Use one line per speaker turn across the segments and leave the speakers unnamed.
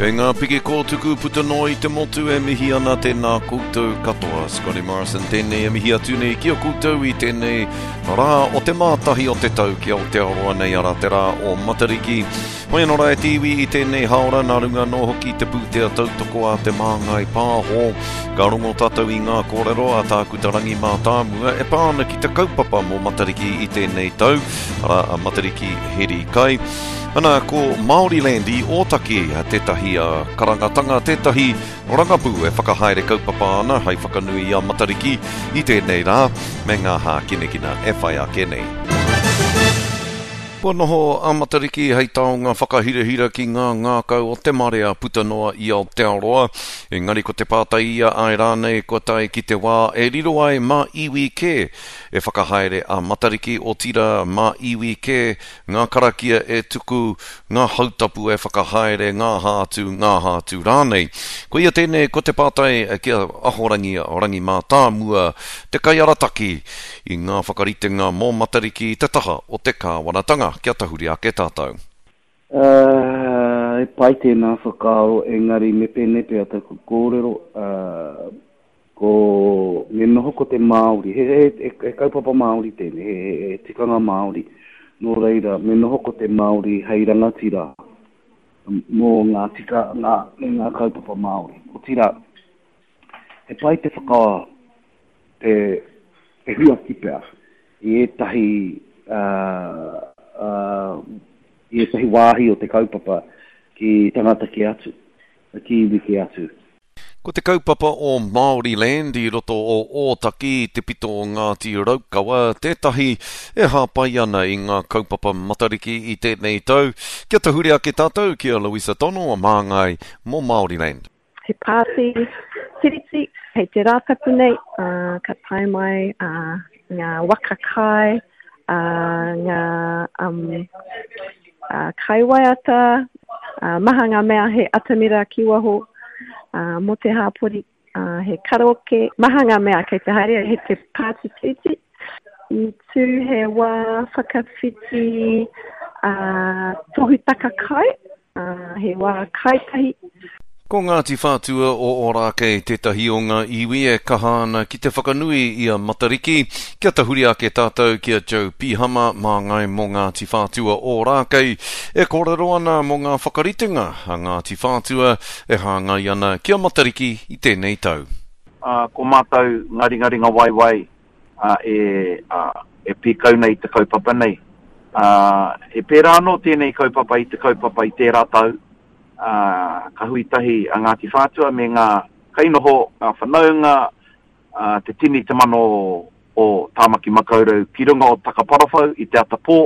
Kei ngā piki kōtuku puta noa i te motu e mihi ana tēnā koutou katoa. Scotty Morrison tēnei e mihi atu nei ki a koutou i tēnei rā o te mātahi o te tau ki Aotearoa nei arā te rā o Matariki. Hoi anō rā e te iwi i tēnei haora nā runga anō hoki te pūtea tautoko a Te Māngai Pāho. Ka rongo tātou i ngā kōrero a Tākuta Rangi Mātāmua e pā ana ki te kaupapa mō Matariki i tēnei tau, arā a Matariki Heri Kai. Ana, ko Māoriland i Ōtaki tētahi karangatanga, tētahi rangapū e whakahaere kaupapa ana hai whakanui i a Matariki i tēnei rā, me ngā hākinakina e whai ake nei. Kua noho a Matariki hei taonga whakahirahira ki ngā ngākau o te marea puta noa i Aotearoa. Engari ko te pātai ia āe rānei kua tae ki te wā e riro ai mā iwi kē e whakahaere a Matariki, otirā mā iwi kē ngā karakia e tuku, ngā hautapu e whakahaere, ngā aha atu, ngā aha atu rānei. Koia tēnei ko te pātai ki a Ahorangi Rangi Mātāmua, te kaiarataki i ngā whakaritenga mō Matariki i te taha o te kāwanatanga. Kia tahuri ake tātou.
He pai tēnā whakaaro, engari me pēnei pea taku kōrero, Ko, me noho ko te Māori, he, he, he, he kaupapa Māori tēnei, he, he, he tikanga Māori. Nō reira, me noho ko te Māori hei rangatira mō ngā tikanga me ngā kaupapa Māori. Otirā, he pai te whaka, te, te huaki pea i ētahi, uh, uh, i ētahi wāhi o te kaupapa ki tangata kē atu, ki iwi kē atu.
Ko te kaupapa o Māoriland i roto o Ōtaki i te pito o Ngāti Raukawa tētahi e hāpai ana i ngā kaupapa Matariki i tēnei tau. Kia tahuri ake tātou ki a Louisa Tono, māngai mō Māoriland.
He pāti tiriti hei te Rātapu nei, ā, ka tae mai ā, ngā waka kai, ā, ngā um, ā, kaiwaiata, ā, maha ngā mea he atamira ki waho, ā, mō te hāpori, ā, he karaoke, maha ngā mea kei te haere, he te pāti tiriti. I tū he wā whakawhiti ā, tohu taka kai, Ā, he wā kai tahi.
Ko Ngāti Whātua o Ōrākei tētahi o ngā iwi e kaha ana ki te whakanui i a Matariki. Kia tahuri ake tātou ki a Joe Pihama, māngai mō Ngāti Whātua Ōrākei, e kōrero ana mō ngā whakaritenga a Ngāti Whātua e hāngai ana ki a Matariki i tēnei tau.
Ā, ko mātou ngā ringaringa waiwai e, e pīkau nei i te kaupapa nei. Ā, he pērā anō tēnei kaupapa i te kaupapa i tērā tau, ā, ka hui tahi a Ngāti Whātua me ngā kainoho, ngā whanaunga, ā, te tini te mano o Tāmaki Makaurau ki runga o Takaparawhau i te ata pō,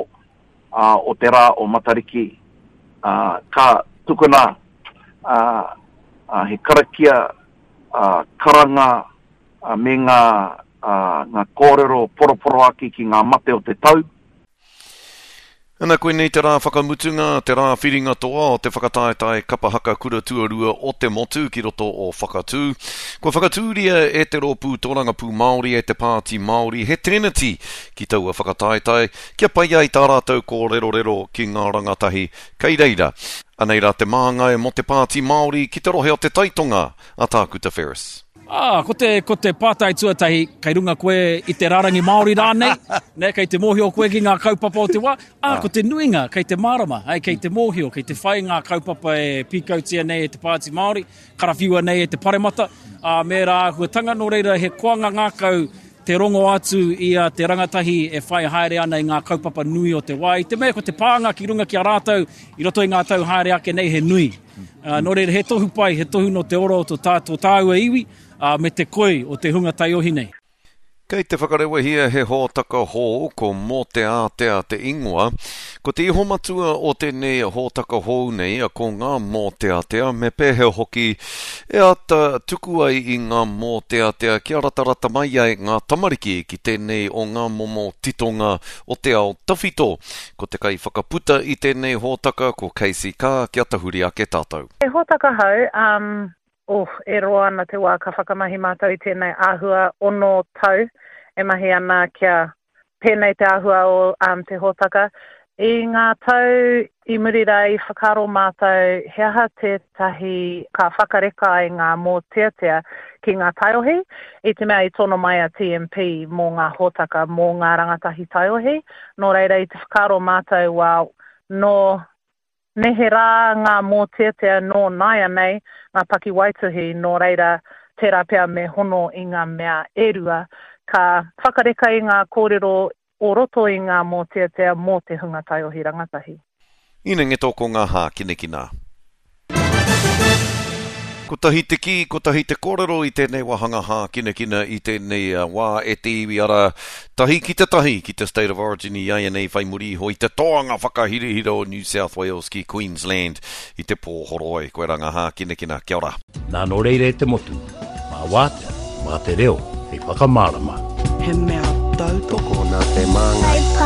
ā, o te rā o Matariki, ā, ka tukuna, ā, ā, he karakia, ā, karanga, me ngā, ngā kōrero poroporoaki ki ngā mate o te tau.
Ana, koinei te rā whakamutunga, te rā whiringa toa o te whakataetae kapa haka kura tuarua o te motu ki roto o Whakatū. Kua whakatūria e te Rōpū Tōrangapū Māori e te Pāti Māori he teneti ki taua whakataetae kia pai ai tā rātou kōrerorero ki ngā rangatahi kei reira. Anei rā te māngai mō te Pāti Māori ki te rohe o Te Taitonga, a Tākuta Ferris.
Ā, ko te, ko te pātai tuatahi, kei runga koe i te rārangi Māori rānei, nē, kei te mōhio koe ki ngā kaupapa o te wā, ā, ko te nuinga kei te mārama, hei, kei te mōhio, kei te whai ngā kaupapa e pīkautia nei e te Pāti Māori, karawhiua nei e te Paremata, ā, me ērā āhuatanga, nō reira he koanga ngākau te rongo atu i a te rangatahi e whai haere ana i ngā kaupapa nui o te wā, i te mea ko te pānga ki runga ki a rātou i roto i ngā tau haere ake nei he nui. Nō reira, he tohu pai, he tohu nō te ora o tō tā, tō tāua iwi, ā, me te koi o te hunga taiohi nei.
Kei te whakarewahia he hōtaka hou, ko Mōteātea te ingoa. Ko te ihomatua o tēnei hōtaka hou nei, ko ngā mōteatea, me pēhea hoki e āta tuku ai i ngā mōteatea kia ratarata mai ai ngā tamariki ki tēnei o ngā momo titonga o te ao tawhito. Ko te kaiwhakaputa i tēnei hōtaka ko Casey Carr kia tahuri ake tātou.
He hōtaka hou, um, oh, e roa ana te wā ka whakamahi mātou i tēnei āhua ono tau e mahi ana kia pēnei te āhua o um, te hōtaka. I ngā tau i muri rā i whakaaro mātou he aha tētahi ka whakareka ai ngā mōteatea ki ngā taiohi, i te mea i tono mai a TMP mō ngā hōtaka mō ngā rangatahi taiohi, nō reira i te whakaaro mātou well, nō neherā ngā mōteatea nō nāianei ngā pakiwaituhi, nō reira tērā pea me hono i ngā mea e rua, ka whakareka i ngā kōrero o roto i ngā mōteatea mō te hunga taiohi rangatahi.
Inengeto ko ngā hākinakina. Kotahi te kī, kotahi te kōrero i tēnei wāhanga hākinakina i tēnei wā e te iwi arā, tahi ki te tahi ki te State of Origin i āianei whai muri iho i te toanga whakahirahira o New South Wales ki Queensland i te pō horoi. Koirā ngā hākinakina. Kia ora.
Nā nō reira e te motu, mā wātea, mā te reo hei whakamārama.
He mea tautoko.
Tokona te māngai.